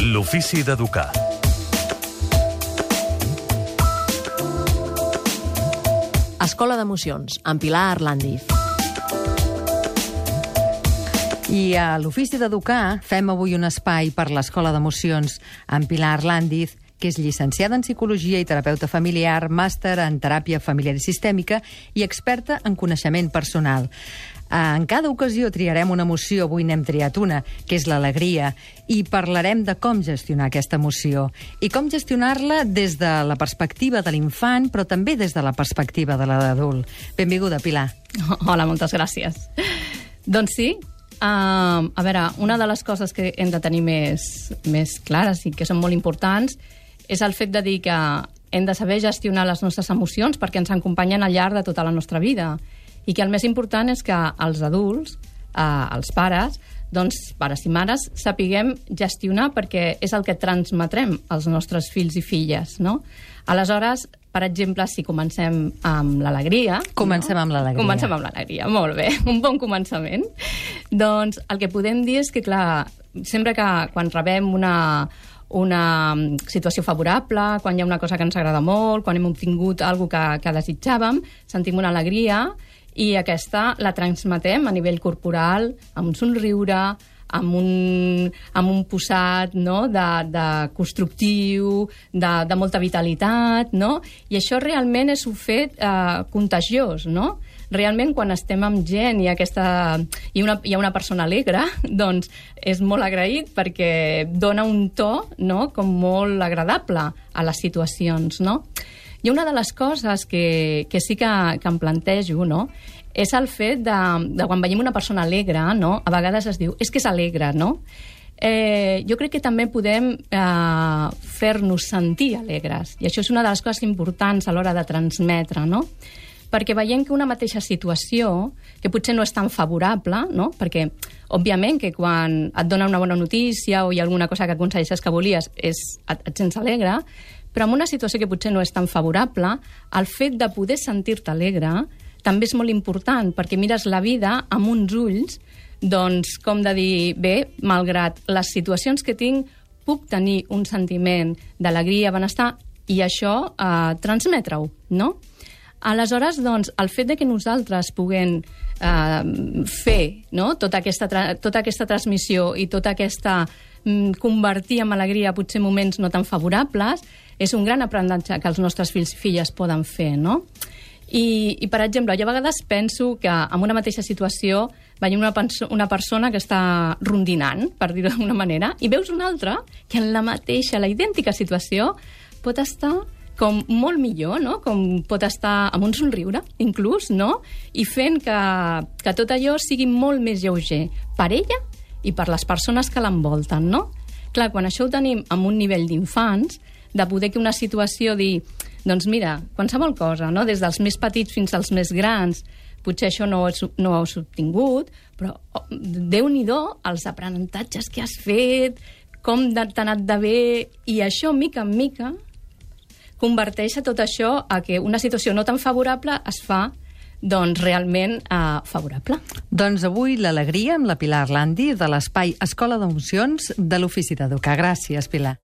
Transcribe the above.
L'ofici d'educar. Escola d'Emocions, amb Pilar Arlandiz. I a l'Ofici d'Educar fem avui un espai per l'Escola d'Emocions amb Pilar Arlandiz, que és llicenciada en Psicologia i terapeuta familiar, màster en teràpia familiar i sistèmica i experta en coneixement personal. En cada ocasió triarem una emoció, avui n'hem triat una, que és l'alegria, i parlarem de com gestionar aquesta emoció i com gestionar-la des de la perspectiva de l'infant, però també des de la perspectiva de l'adult. Benvinguda, Pilar. Hola, moltes gràcies. Doncs sí, a veure, una de les coses que hem de tenir més clares i que són molt importants és el fet de dir que hem de saber gestionar les nostres emocions perquè ens acompanyen al llarg de tota la nostra vida. I que el més important és que els adults, els pares, doncs pares i mares, sapiguem gestionar perquè és el que transmetrem als nostres fills i filles, no? Aleshores, per exemple, si comencem amb l'alegria... Comencem amb l'alegria. Comencem amb l'alegria, molt bé, un bon començament. Doncs el que podem dir és que, clar, sempre que quan rebem una situació favorable, quan hi ha una cosa que ens agrada molt, quan hem obtingut alguna que desitjàvem, sentim una alegria i aquesta la transmetem a nivell corporal, amb un somriure, amb un posat, no? de constructiu, de molta vitalitat, no? I això realment és un fet contagiós, no? Realment, quan estem amb gent i hi ha una persona alegre, doncs és molt agraït perquè dona un to, no? Com molt agradable a les situacions, no? I una de les coses que sí que em plantejo, no? És el fet de quan veiem una persona alegre, no? A vegades es diu, és que és alegre, no? Jo crec que també podem fer-nos sentir alegres, i això és una de les coses importants a l'hora de transmetre, no? Perquè veiem que una mateixa situació, que potser no és tan favorable, no? Perquè, òbviament, que quan et dona una bona notícia o hi ha alguna cosa que aconsegueixes que volies, et sents alegre, però en una situació que potser no és tan favorable, el fet de poder sentir-te alegre també és molt important, perquè mires la vida amb uns ulls, doncs, com de dir, bé, malgrat les situacions que tinc, puc tenir un sentiment d'alegria, benestar, i això transmetre-ho, no? Aleshores, doncs, el fet de que nosaltres puguem fer, no? tota aquesta transmissió i tota aquesta convertir en alegria potser moments no tan favorables, és un gran aprenentatge que els nostres fills i filles poden fer, no? I per exemple, jo a vegades penso que en una mateixa situació veiem una persona que està rondinant, per dir-ho d'alguna manera, i veus una altra que en la idèntica situació pot estar com molt millor, no? Com pot estar amb un somriure, inclús, no? I fent que tot allò sigui molt més lleuger per ella i per les persones que l'envolten, no? Clar, quan això ho tenim amb un nivell d'infants, de poder que una situació dir, doncs mira, qualsevol cosa, no? Des dels més petits fins als més grans, potser això no ho has obtingut, però Déu-n'hi-do els aprenentatges que has fet, com t'ha anat de bé, i això, mica en mica, converteix tot això a que una situació no tan favorable es fa doncs realment favorable. Doncs avui l'alegria amb la Pilar Arlandiz de l'espai Escola d'Emocions de l'Ofici d'Educar. Gràcies, Pilar.